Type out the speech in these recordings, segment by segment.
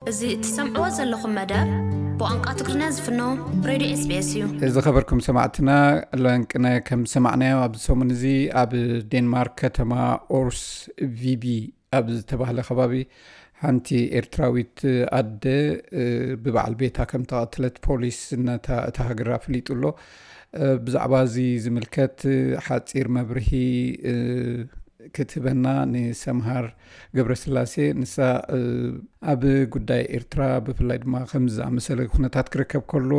እዚ እትሰምዕዎ ዘለኹም መደብ ብቋንቋ ትግርኛ ዝፍኖ ሬድዮ ኤስቢኤስ እዩ። እዚ ኸበርኩም ሰማዕትና፣ ለንቅነ ከም ዝሰማዕናዮ ኣብዚ ሰሙን እዚ ኣብ ዴንማርክ ከተማ ኦርስ ቪቢ ኣብ ዝተባህለ ከባቢ ሓንቲ ኤርትራዊት ኣደ ብበዓል ቤታ ከም ተቐትለት ፖሊስ ነታ እታ ሃገር ኣፍሊጡ ኣሎ። ብዛዕባ እዚ ዝምልከት ሓፂር መብርሂ ክትህበና ንሰምሃር ገብረስላሴ፣ ንሳ ኣብ ጉዳይ ኤርትራ ብፍላይ ድማ ከምዚ ዝኣመሰለ ኩነታት ክርከብ ከሎ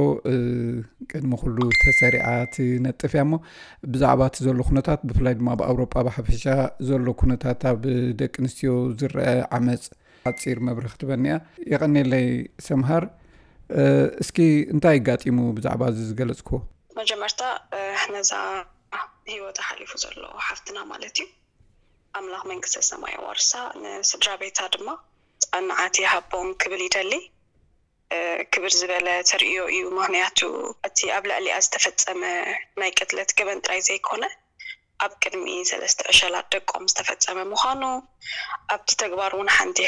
ቅድሚ ኩሉ ተሰሪዓ ትነጥፍ እያ። እሞ ብዛዕባ እቲ ዘሎ ኩነታት ብፍላይ ድማ ኣብ ኣውሮጳ ብሓፈሻ ዘሎ ኩነታት ኣብ ደቂ ኣንስትዮ ዝረአ ዓመፅ ሓፂር መብርሂ ክትበኒ እያ። የቐኔለይ ሰምሃር። እስኪ እንታይ ኣጋጢሙ ብዛዕባ እዚ ዝገለፅክዎ? መጀመርታ ነዛ ህይወታ ሓሊፉ ዘሎ ሓፍትና ማለት እዩ ኣምላኽ መንግስተ ሰማይ የዋርሳ፣ ንስድራ ቤታ ድማ ጽንዓት ይሃቦም ክብል ይደሊ። ክብር ዝበለ ተርእዮ እዩ። ምኽንያቱ እቲ ኣብ ልዕሊኣ ዝተፈጸመ ናይ ቅትለት ገበን ጥራይ ዘይኮነ ኣብ ቅድሚ ሰለስተ ዕሸላት ደቆም ዝተፈጸመ ምዃኑ፣ ኣብቲ ተግባር እውን ሓንቲ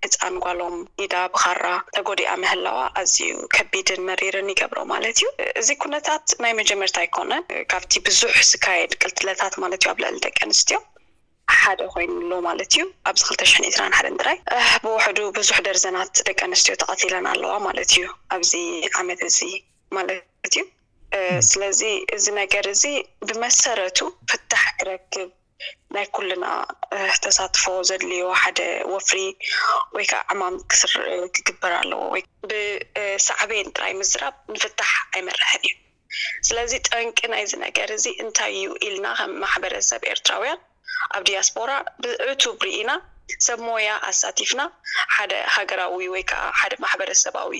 ህጻን ጓሎም ኢዳ ብኻራ ተጎዲኣ ምህላዋ ኣዝዩ ከቢድን መሪርን ይገብሮ ማለት እዩ። እዚ ኩነታት ናይ መጀመርታ ኣይኮነን። ካብቲ ብዙሕ ዝካየድ ቅትለታት ማለት እዩ ኣብ ልዕሊ ደቂ ኣንስትዮ ሓደ ኮይኑ ኣሎ ማለት እዩ። ኣብዚ ክልተ ሽሕን ዕስራን ሓደን ጥራይ ብውሕዱ ብዙሕ ደርዘናት ደቂ ኣንስትዮ ተቐቲለን ኣለዋ ማለት እዩ ኣብዚ ዓመት እዚ ማለት እዩ። ስለዚ እዚ ነገር እዚ ብመሰረቱ ፍታሕ ክረክብ ናይ ኩልና ተሳትፎ ዘድልዮ ሓደ ወፍሪ ወይ ከዓ ዕማም ክግበር ኣለዎ። ወይ ብሳዕቤን ጥራይ ምዝራብ ንፍታሕ ኣይመርሕን እዩ። ስለዚ ጠንቂ ናይዚ ነገር እዚ እንታይ እዩ ኢልና ከም ማሕበረሰብ ኤርትራውያን ኣብ ዲያስፖራ ብዕቱብ ርኢና ሰብ ሞያ ኣሳቲፍና ሓደ ሃገራዊ ወይ ከዓ ሓደ ማሕበረሰባዊ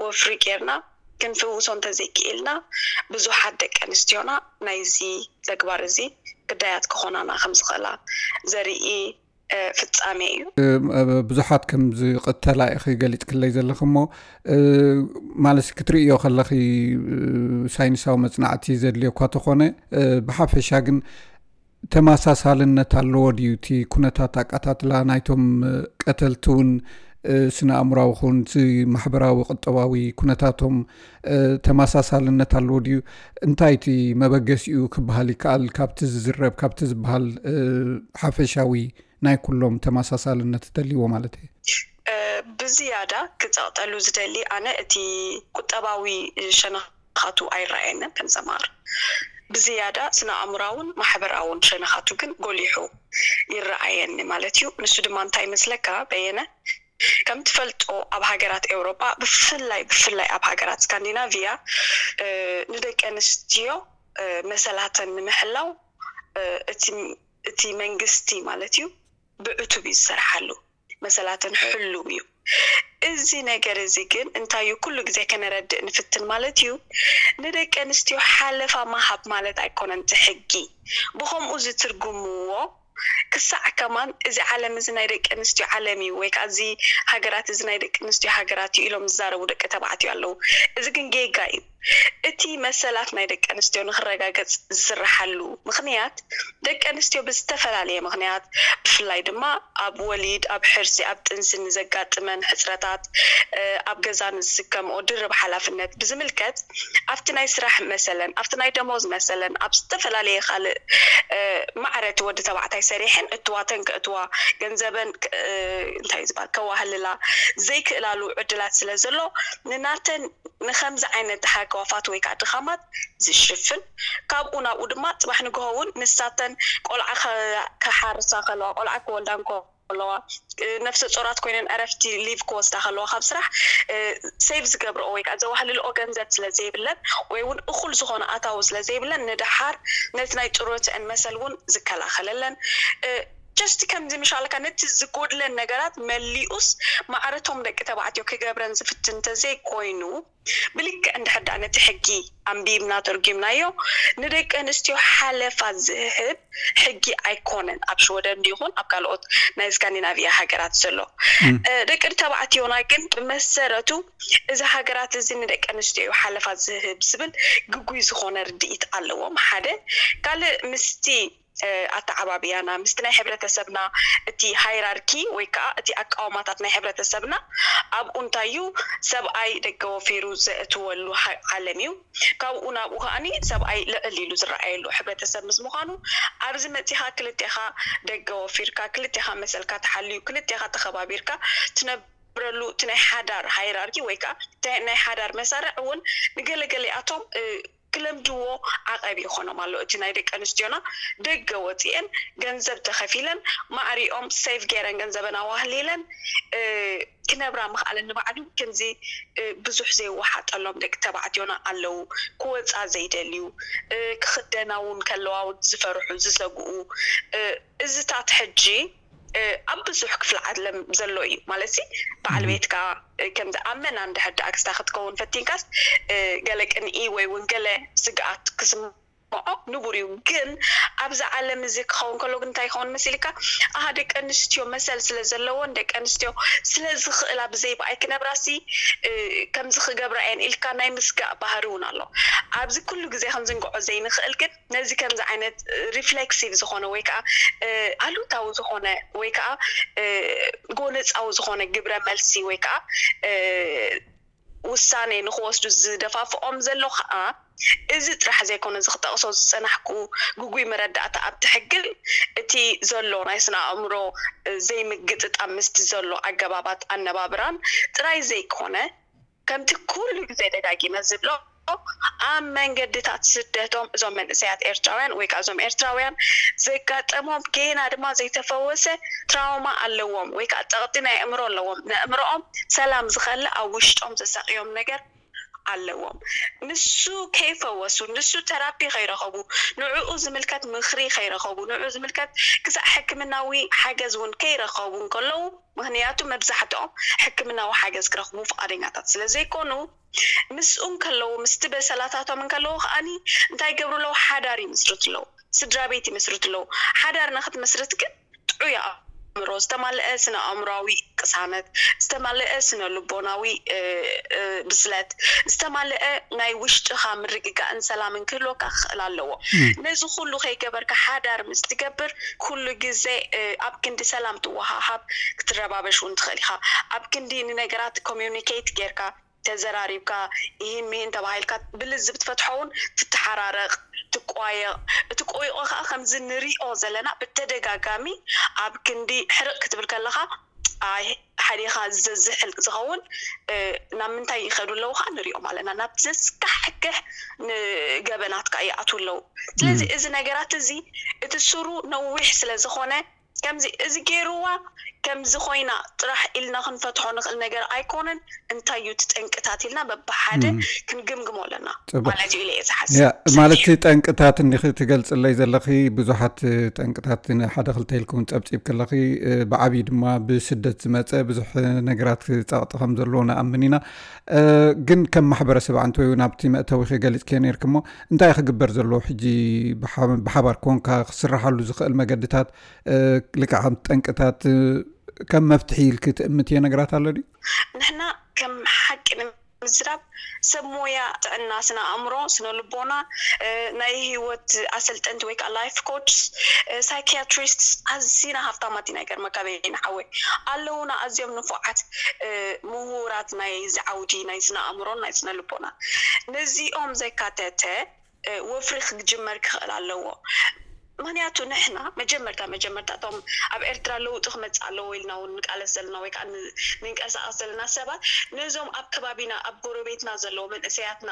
ወፍሪ ጌርና ክንፍውሶ እንተዘይክኢልና ብዙሓት ደቂ ኣንስትዮና ናይዚ ተግባር እዚ ግዳያት ክኾናና ከም ዝኽእላ ዘርኢ ፍጻሜ እዩ። ብዙሓት ከም ዝቕተላ ኢኺ ገሊጽክለይ ዘለኺ እሞ ማለት ክትርእዮ ከለኺ ሳይንሳዊ መጽናዕቲ ዘድልዮ እኳ ተኾነ ብሓፈሻ ግን ተመሳሳልነት ኣለዎ ድዩ እቲ ኩነታት ኣቀታትላ ናይቶም ቀተልቲ እውን ስነ ኣእምራዊ ክውን እቲ ማሕበራዊ ቁጠባዊ ኩነታቶም ተመሳሳልነት ኣለዎ ድዩ? እንታይ እቲ መበገሲኡ ክበሃል ይከኣል ካብቲ ዝዝረብ ካብቲ ዝበሃል ሓፈሻዊ ናይ ኩሎም ተመሳሳልነት እተልይዎ ማለት እየ። ብዝያዳ ክጸቕጠሉ ዝደሊ ኣነ እቲ ቁጠባዊ ሸነኻቱ ኣይረኣየንን ከም ዘማር ብዝያዳ ስነ ኣእምራውን ማሕበራውን ሸነኻቱ ግን ጎሊሑ ይረኣየኒ ማለት እዩ። ንሱ ድማ እንታይ ይመስለካ በየነ? ከም ትፈልጦ ኣብ ሃገራት ኤውሮጳ ብፍላይ ብፍላይ ኣብ ሃገራት ስካንዲናቪያ ንደቂ ኣንስትዮ መሰላተን ንምሕላው እቲ መንግስቲ ማለት እዩ ብዕቱብ እዩ ዝሰርሓሉ። መሰላተን ሕሉው እዩ። እዚ ነገር እዚ ግን እንታይ እዩ ኩሉ ግዜ ከነረድእ ንፍትን ማለት እዩ ንደቂ ኣንስትዮ ሓለፋ ማሃብ ማለት ኣይኮነን። እቲ ሕጊ ብኸምኡ ዝትርጉምዎ ክሳዕ ከማን እዚ ዓለም እዚ ናይ ደቂ ኣንስትዮ ዓለም እዩ ወይ ከዓ እዚ ሃገራት እዚ ናይ ደቂ ኣንስትዮ ሃገራት እዩ ኢሎም ዝዛረቡ ደቂ ተባዕትዮ ኣለዉ። እዚ ግን ጌጋ እዩ። እቲ መሰላት ናይ ደቂ ኣንስትዮ ንክረጋገፅ ዝስርሓሉ ምክንያት ደቂ ኣንስትዮ ብዝተፈላለየ ምክንያት ብፍላይ ድማ ኣብ ወሊድ፣ ኣብ ሕርሲ፣ ኣብ ጥንሲ ንዘጋጥመን ሕፅረታት፣ ኣብ ገዛ ንዝስከምኦ ድርብ ሓላፍነት ብዝምልከት ኣብቲ ናይ ስራሕ መሰለን ኣብቲ ናይ ደሞዝ መሰለን ኣብ ዝተፈላለየ ካልእ ማዕረ እቲ ወዲ ተባዕታይ ሰሪሐን እትዋተን ከእትዋ ገንዘበን እንታይ ዝበሃል ከዋህልላ ዘይክእላሉ ዕድላት ስለ ዘሎ ንናተን ንኸምዚ ዓይነት ተሓከዋፋት ወይ ከዓ ድኻማት ዝሽፍን ካብኡ ናብኡ ድማ ፅባሕ ንግሆ እውን ንሳተን ቆልዓ ከሓርሳ ከለዋ ቆልዓ ክወልዳ ከለዋ ነፍሰ ጾራት ኮይነን ዕረፍቲ ሊቭ ክወስዳ ከለዋ ካብ ስራሕ ሴቭ ዝገብረኦ ወይ ከዓ ዘዋህልልኦ ገንዘብ ስለ ዘይብለን ወይ እውን እኹል ዝኾነ ኣታዊ ስለ ዘይብለን ንደሓር ነቲ ናይ ጥሮትአን መሰል እውን ዝከላኸለለን ጀስት ከምዚ ምሻልካ ነቲ ዝጎድለን ነገራት መሊኡስ ማዕረቶም ደቂ ተባዕትዮ ክገብረን ዝፍትን እንተዘይኮይኑ ብልክዕ እንድሕር ደኣ ነቲ ሕጊ ኣንቢብና ተርጒምናዮ ንደቂ ኣንስትዮ ሓለፋ ዝህብ ሕጊ ኣይኮነን ኣብ ሽወደን ይኹን ኣብ ካልኦት ናይ ስካንዲናቪያ ሃገራት ዘሎ ደቂ ተባዕትዮና ግን ብመሰረቱ እዚ ሃገራት እዚ ንደቂ ኣንስትዮ ሓለፋ ዝህብ ዝብል ግጉይ ዝኾነ ርድኢት ኣለዎም ሓደ ካልእ ምስቲ ኣተዓባብያና ምስቲ ናይ ሕብረተሰብና እቲ ሃይራርኪ ወይ ከዓ እቲ ኣቃውማታት ናይ ሕብረተሰብና ኣብኡ እንታይ እዩ ሰብኣይ ደገ ወፊሩ ዘእትወሉ ዓለም እዩ። ካብኡ ናብኡ ከዓኒ ሰብኣይ ልዕል ኢሉ ዝረኣየሉ ሕብረተሰብ ምስ ምዃኑ ኣብዚ መፂኻ ክልቴኻ ደገ ወፊርካ ክልቴኻ መሰልካ ተሓልዩ ክልቴኻ ተኸባቢርካ ትነብረሉ እቲ ናይ ሓዳር ሃይራርኪ ወይ ከዓ ናይ ሓዳር መሳርዕ እውን ንገለገሊኣቶም ክለምድዎ ዓቐብ ይኾኖም ኣሎ። እቲ ናይ ደቂ ኣንስትዮና ደገ ወፂኤን ገንዘብ ተኸፊለን ማዕሪኦም ሴቭ ገይረን ገንዘበን ኣዋህሊለን ክነብራ ምኽኣለን ንባዕሉ ከምዚ ብዙሕ ዘይወሓጠሎም ደቂ ተባዕትዮና ኣለዉ። ክወፃ ዘይደልዩ ክኽደና እውን ከለዋ እውን ዝፈርሑ ዝሰግኡ እዚታት ሕጂ ኣብ ብዙሕ ክፍሊ ዓለም ዘሎ እዩ ማለት ሲ በዓል ቤትካ ከምዚ ኣብ መና እንድሕር ደኣ ክስታ ክትከውን ፈቲንካስ ገለ ቅንኢ ወይ እውን ገለ ስግኣት ክስምዖ ንቡር እዩ። ግን ኣብዚ ዓለም እዚ ክኸውን ከሎ ግን እንታይ ይኸውን መሲልካ? ኣሃ ደቂ ኣንስትዮ መሰል ስለ ዘለዎን ደቂ ኣንስትዮ ስለ ዝኽእላ ብዘይ ብኣይ ክነብራሲ ከምዚ ክገብራ እየን ኢልካ ናይ ምስጋእ ባህሪ እውን ኣሎ። ኣብዚ ኩሉ ግዜ ክንዝንግዖ ዘይንኽእል ግን ነዚ ከምዚ ዓይነት ሪፍሌክሲቭ ዝኾነ ወይ ከዓ ኣሉታዊ ዝኾነ ወይ ከዓ ጎነፃዊ ዝኾነ ግብረ መልሲ ወይ ከዓ ውሳኔ ንክወስዱ ዝደፋፍኦም ዘሎ ከዓ እዚ ጥራሕ ዘይኮነ እዚ ክጠቕሶ ዝፀናሕኩ ግጉይ መረዳእታ ኣብቲ ሕግን እቲ ዘሎ ናይ ስነ ኣእምሮ ዘይምግጥጣም ምስቲ ዘሎ ኣገባባት ኣነባብራን ጥራይ ዘይኮነ ከምቲ ኩሉ ግዜ ደጋጊመ ዝብሎ ኣብ መንገድታት ስደቶም እዞም መንእሰያት ኤርትራውያን ወይ ከዓ እዞም ኤርትራውያን ዘጋጠሞም ጌና ድማ ዘይተፈወሰ ትራውማ ኣለዎም ወይ ከዓ ፀቕጢ ናይ ኣእምሮ ኣለዎም። ንኣእምሮኦም ሰላም ዝኸልእ ኣብ ውሽጦም ዘሳቕዮም ነገር ኣለዎም። ንሱ ከይፈወሱ ንሱ ተራፒ ከይረኸቡ ንዕኡ ዝምልከት ምኽሪ ከይረኸቡ ንዕኡ ዝምልከት ክሳዕ ሕክምናዊ ሓገዝ እውን ከይረኸቡ እንከለዉ ምኽንያቱ መብዛሕትኦም ሕክምናዊ ሓገዝ ክረኽቡ ፍቓደኛታት ስለ ዘይኮኑ ምስኡ እንከለዉ ምስቲ በሰላታቶም እንከለዉ ከዓኒ እንታይ ይገብሩ ኣለዉ ሓዳር ይምስርቱ ኣለዉ ስድራ ቤት ይምስርቱ ኣለዉ ሓዳር ንክትምስርት ግን ጥዑይ ኣእምሮ ዝተማልአ ስነ ኣእምሮዊ ቅሳነት ዝተማልአ ስነ ልቦናዊ ብስለት ዝተማልአ ናይ ውሽጥኻ ምርግጋእን ሰላምን ክህልወካ ክኽእል ኣለዎ ነዚ ኩሉ ከይገበርካ ሓዳር ምስ ትገብር ኩሉ ግዜ ኣብ ክንዲ ሰላም ትወሃሃብ ክትረባበሽ እውን ትኽእል ኢኻ ኣብ ክንዲ ንነገራት ኮሚኒኬት ጌርካ ተዘራሪብካ ይህን ምሂን ተባሂልካ ብልዝብ ትፈትሖ እውን ትተሓራረቕ ትቋየቕ እቲ ቆይቆ ከዓ ከምዚ ንሪኦ ዘለና ብተደጋጋሚ ኣብ ክንዲ ሕርቕ ክትብል ከለካ ኣይ ሓዲኻ ዘዝሕል ዝኸውን ናብ ምንታይ ይኸዱ ኣለዉ ከዓ ንሪኦም ኣለና ናብ ዘስካሕክሕ ንገበናት ከዓ ይኣትዉ ኣለዉ ስለዚ እዚ ነገራት እዚ እቲ ስሩ ነዊሕ ስለ ዝኾነ ከምዚ እዚ ገይርዋ ከምዚ ኮይና ጥራሕ ኢልና ክንፈትሖ ንኽእል ነገር ኣይኮነን እንታይ እዩ እቲ ጠንቅታት ኢልና በብሓደ ክንግምግሞ ኣለና ማለት እዩ ኢለ እየ ዝሓስብ ማለት ጠንቅታት እንዲኺ ትገልፅለይ ዘለኺ ብዙሓት ጠንቅታት ሓደ ክልተ ኢልክውን ፀብፂብ ከለኺ ብዓብዪ ድማ ብስደት ዝመፀ ብዙሕ ነገራት ፀቕጢ ከም ዘለዎ ንኣምን ኢና ግን ከም ማሕበረሰብ ዓንተ ወይ ናብቲ መእተዊ ገሊፅክዮ ነርክሞ እንታይ ክግበር ዘለዎ ሕጂ ብሓባር ኮንካ ክስራሓሉ ዝኽእል መገድታት ልክዓ ጠንቅታት ከም መፍትሒ ኢልክ ትእምትዮ ነገራት ኣሎ ድዩ? ንሕና ከም ሓቂ ንምዝራብ ሰብ ሞያ ጥዕና ስነ ኣእምሮ ስነ ልቦና ናይ ህይወት ኣሰልጠንቲ ወይ ከዓ ላይፍ ኮችስ ሳይኪያትሪስትስ ኣዚና ሃፍታማት ኢና ይገርመካ በይና ሓወይ ኣለውና ኣዝዮም ንፉዓት ምሁራት ናይ እዚ ዓውዲ ናይ ስነ ኣእምሮን ናይ ስነ ልቦና ነዚኦም ዘካተተ ወፍሪ ክጅመር ክኽእል ኣለዎ ምክንያቱ ንሕና መጀመርታ መጀመርታ እቶም ኣብ ኤርትራ ለውጢ ክመፅእ ኣለዎ ኢልና እውን ንቃለስ ዘለና ወይ ከዓ ንንቀሳቀስ ዘለና ሰባት ነዞም ኣብ ከባቢና ኣብ ጎረቤትና ዘለዉ መንእሰያትና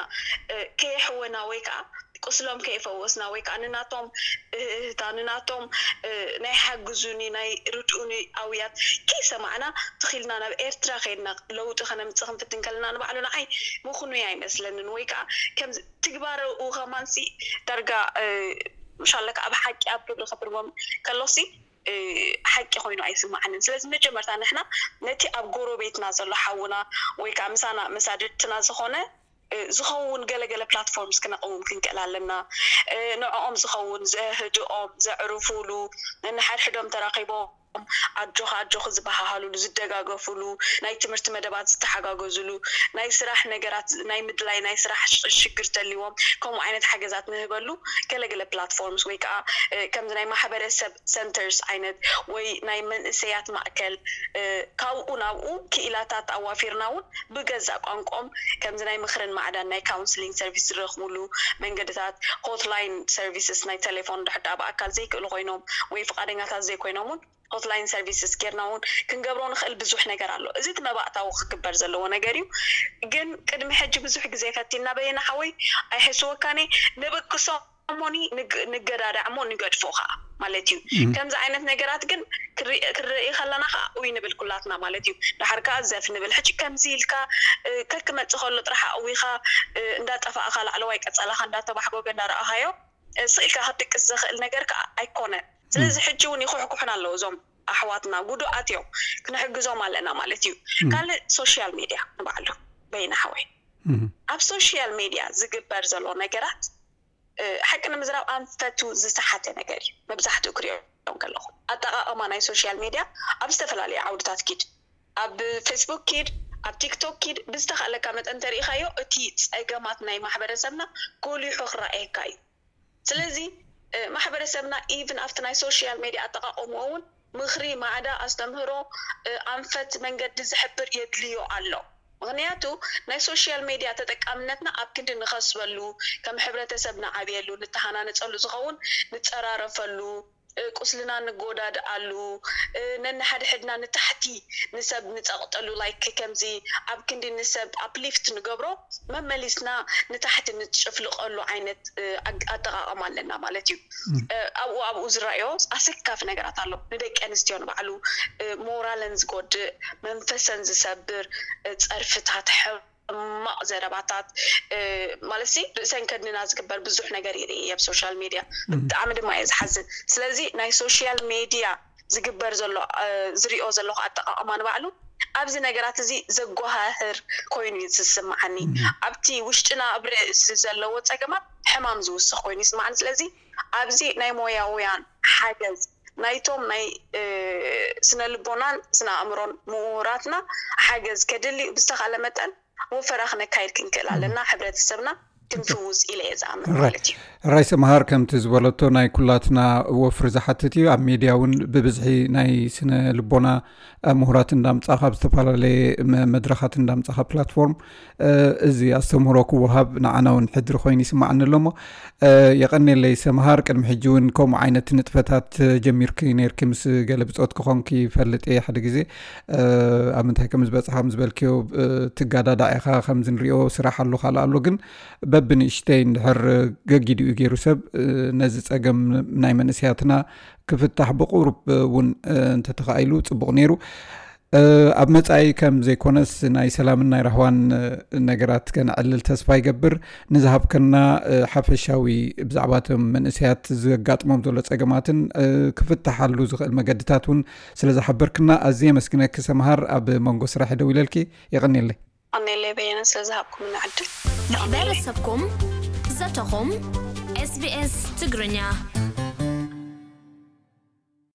ከየሕወና ወይ ከዓ ቁስሎም ከይፈወስና ወይ ከዓ ንናቶም እህህታ ንናቶም ናይ ሓግዙኒ ናይ ርድኡኒ ኣውያት ከይሰማዕና ትኺልና ናብ ኤርትራ ከይድና ለውጢ ከነምፅእ ክንፍትን ከለና ንባዕሉ ንዓይ ምኽኑይ ኣይመስለንን ወይ ከዓ ከም ትግባረኡ ከማንሲ ዳርጋ ሻለካ ኣብ ሓቂ ኣብ ግብሪ ከትርጎም ከሎሲ ሓቂ ኮይኑ ኣይስማዓንን ስለዚ መጀመርታ ንሕና ነቲ ኣብ ጎረቤትና ዘሎ ሓውና ወይ ከዓ ምሳና መሳድድትና ዝኾነ ዝኸውን ገለገለ ፕላትፎርምስ ክነቕውም ክንክእል ኣለና ንዕኦም ዝኸውን ዘህድኦም ዘዕርፉሉ ንሓድሕዶም ተራኺቦም ኣጆኻ ኣጆኺ ዝበሃሃሉሉ፣ ዝደጋገፉሉ፣ ናይ ትምህርቲ መደባት ዝተሓጋገዙሉ፣ ናይ ስራሕ ነገራት፣ ናይ ምድላይ ናይ ስራሕ ሽ- ሽግር ተልዎም ከምኡ ዓይነት ሓገዛት ንህበሉ። ገለገለ ፕላትፎርምስ ወይ ከዓ ከምዚ ናይ ማሕበረሰብ ሰንተርስ ዓይነት ወይ ናይ መንእሰያት ማእከል፣ ካብኡ ናብኡ ክኢላታት ኣዋፊርና እውን ብገዛእ ቋንቋኦም ከምዚ ናይ ምኽርን ማዕዳን ናይ ካውንስሊንግ ሰርቪስ ዝረኽብሉ መንገድታት፣ ሆትላይን ሰርቪስስ ናይ ቴሌፎን ድሕር ደኣ ብኣካል ዘይክእሉ ኮይኖም ወይ ፍቓደኛታት ዘይኮይኖም እውን ሆትላይን ሰርቪስስ ጌርና እውን ክንገብሮ ንኽእል ብዙሕ ነገር ኣሎ። እዚ እቲ መባእታዊ ክግበር ዘለዎ ነገር እዩ። ግን ቅድሚ ሕጂ ብዙሕ ግዜ ፈቲና በየነ ሓወይ ኣይሕስወካኔ ንብቅሶ እሞኒ ንግ- ንገዳዳዕ እሞ ንገድፎ ከዓ ማለት እዩ። ከምዚ ዓይነት ነገራት ግን ክርኢ- ክንርኢ ከለና ከዓ ውይ ንብል ኩላትና ማለት እዩ። ድሓር ከዓ ዘፍ ንብል ሕጂ ከምዚ ኢልካ እ፣ ከክመፅእ ከሎ ጥራሕ ኣዊኻ እ፣ እንዳጠፋእኻ ላዕለዋይ ቀፀላኻ እንዳተባሕጎገ እንዳረኣኻዮ እ፣ ስቕ ኢልካ ክትድቅስ ዘኽእል ነገር ከዓ ኣይኮነን። ስለዚ ሕጂ እውን ይኹሕኩሑና ኣለዉ እዞም ኣሕዋትና ጉዱኣት እዮም፣ ክንሕግዞም ኣለና ማለት እዩ። ካልእ ሶሻል ሜድያ ንባዕሉ በይነ ሓወይ ኣብ ሶሻል ሜድያ ዝግበር ዘሎ ነገራት እ፣ ሓቂ ንምዝራብ ኣንፈቱ ዝሰሓተ ነገር እዩ። መብዛሕትኡ ክሪኦ ከለኹ ኣጠቓቕማ ናይ ሶሻል ሜድያ ኣብ ዝተፈላለዩ ዓውድታት ኪድ ኣብ ፌስቡክ ኪድ ኣብ ቲክቶክ ኪድ ብዝተኻእለካ መጠን ተሪኢኻዮ እቲ ፀገማት ናይ ማሕበረሰብና ጎሊሑ ክረኣየካ እዩ። ስለዚ እ፣ ማሕበረሰብና ኢቭን ኣብቲ ናይ ሶሻል ሜድያ ኣጠቓቕምኡ እውን ምኽሪ ማዕዳ ኣስተምህሮ እ፣ ኣንፈት መንገዲ ዝሕብር የድልዮ ኣሎ። ምኽንያቱ ናይ ሶሻል ሜድያ ተጠቃምነትና ኣብ ክንዲ ንኸስበሉ ከም ሕብረተሰብ ንዓብየሉ ንተሃናነፀሉ ዝኸውን ንፀራረፈሉ እ፣ ቁስልና ንጎዳድኣሉ እ፣ ነንሓድሕድና ንታሕቲ ንሰብ ንፀቕጠሉ ላይክ ከምዚ ኣብ ክንዲ ንሰብ ኣፕሊፍት ንገብሮ መመሊስና ንታሕቲ ንጭፍልቐሉ ዓይነት እ፣ ኣግ- ኣጠቓቕማ ኣለና ማለት እዩ። እ፣ ኣብኡ ኣብኡ ዝረኣዮ ኣሰካፊ ነገራት ኣሎ። ንደቂ ኣንስትዮ ንባዕሉ እ፣ ሞራለን ዝጎድእ መንፈሰን ዝሰብር እ፣ ፀርፍታት ሕማቕ ዘረባታት እ፣ ማለት ሲ ርእሰን ከድንና ዝግበር ብዙሕ ነገር ይርኢ ኣብ ሶሻል ሜድያ። ብጣዕሚ ድማ እየ ዝሓዝን። ስለዚ ናይ ሶሻል ሜድያ ዝግበር ዘሎ እ፣ ዝሪኦ ዘለኹ ኣጠቃቕማ ንባዕሉ ኣብዚ ነገራት እዚ ዘጓሃህር ኮይኑ እዩ ዝስምዓኒ። ኣብቲ ውሽጥና ኣብ ርእሲ ዘለዎ ፀገማት ሕማም ዝውስኽ ኮይኑ ይስምዓኒ። ስለዚ ኣብዚ ናይ ሞያውያን ሓገዝ ናይቶም ናይ እ፣ ስነ ልቦናን ስነ ኣእምሮን ምሁራትና ሓገዝ ከድሊ እዩ። ብዝተኻለ መጠን ወፈራ ክነካይድ ክንክእል ኣለና። ሕብረተሰብና ክንፍውስ ኢለ እየ ዝኣምን ማለት እዩ። ራይ ሰምሃር ከምቲ ዝበለቶ ናይ ኩላትና ወፍሪ ዝሓትት እዩ። ኣብ ሜድያ እውን ብብዝሒ ናይ ስነ ልቦና ምሁራት እንዳምጻኻ፣ ኣብ ዝተፈላለየ መ- መድረኻት እንዳምጻኻ ፕላትፎርም እ፣ እዚ ኣስተምህሮ ክወሃብ ንዓና እውን ሕድሪ ኮይኑ ይስምዓኒ ኣሎ እሞ እ፣ የቐኔለይ ሰምሃር። ቅድሚ ሕጂ እውን ከምኡ ዓይነት ንጥፈታት ጀሚርኪ ነይርኪ ምስ ገለ ብጾት ክኾንኪ ይፈልጥ እየ። ሓደ ግዜ እ፣ ኣብ ምንታይ ከም ዝበጽሓ ከም ዝበልክዮ እ፣ ትጋዳዳዕ ኢኻ፣ ከምዚ ንሪኦ ስራሕ ኣሎ ካልእ ኣሎ፣ ግን በብንእሽተይ እንድሕር ገጊዱ እዩ ገይሩ ሰብ እ፣ ነዚ ጸገም ናይ መንእሰያትና ክፍታሕ ብቁሩብ እውን እ፣ እንተተኻኢሉ ጽቡቕ ነይሩ። እ፣ ኣብ መጻኢ ከም ዘይኮነስ ናይ ሰላምን ናይ ራህዋን እ፣ ነገራት ከነዕልል ተስፋ ይገብር። ንዝሃብከና እ፣ ሓፈሻዊ ብዛዕባ እቶም መንእሰያት ዘጋጥሞም ዘሎ ጸገማትን እ፣ ክፍትሓሉ ዝኽእል መገድታት እውን ስለ ዝሓበርክና ኣዝየ የመስግነኪ ሰምሃር። ኣብ መንጎ ስራሕ ደው ኢለልኪ የቐንየለይ። ኣኔለይ በየነ ስለ ዝሃብኩምና ዕድል። ማሕበረሰብኩም ዘተኹም ኤስቢኤስ ትግርኛ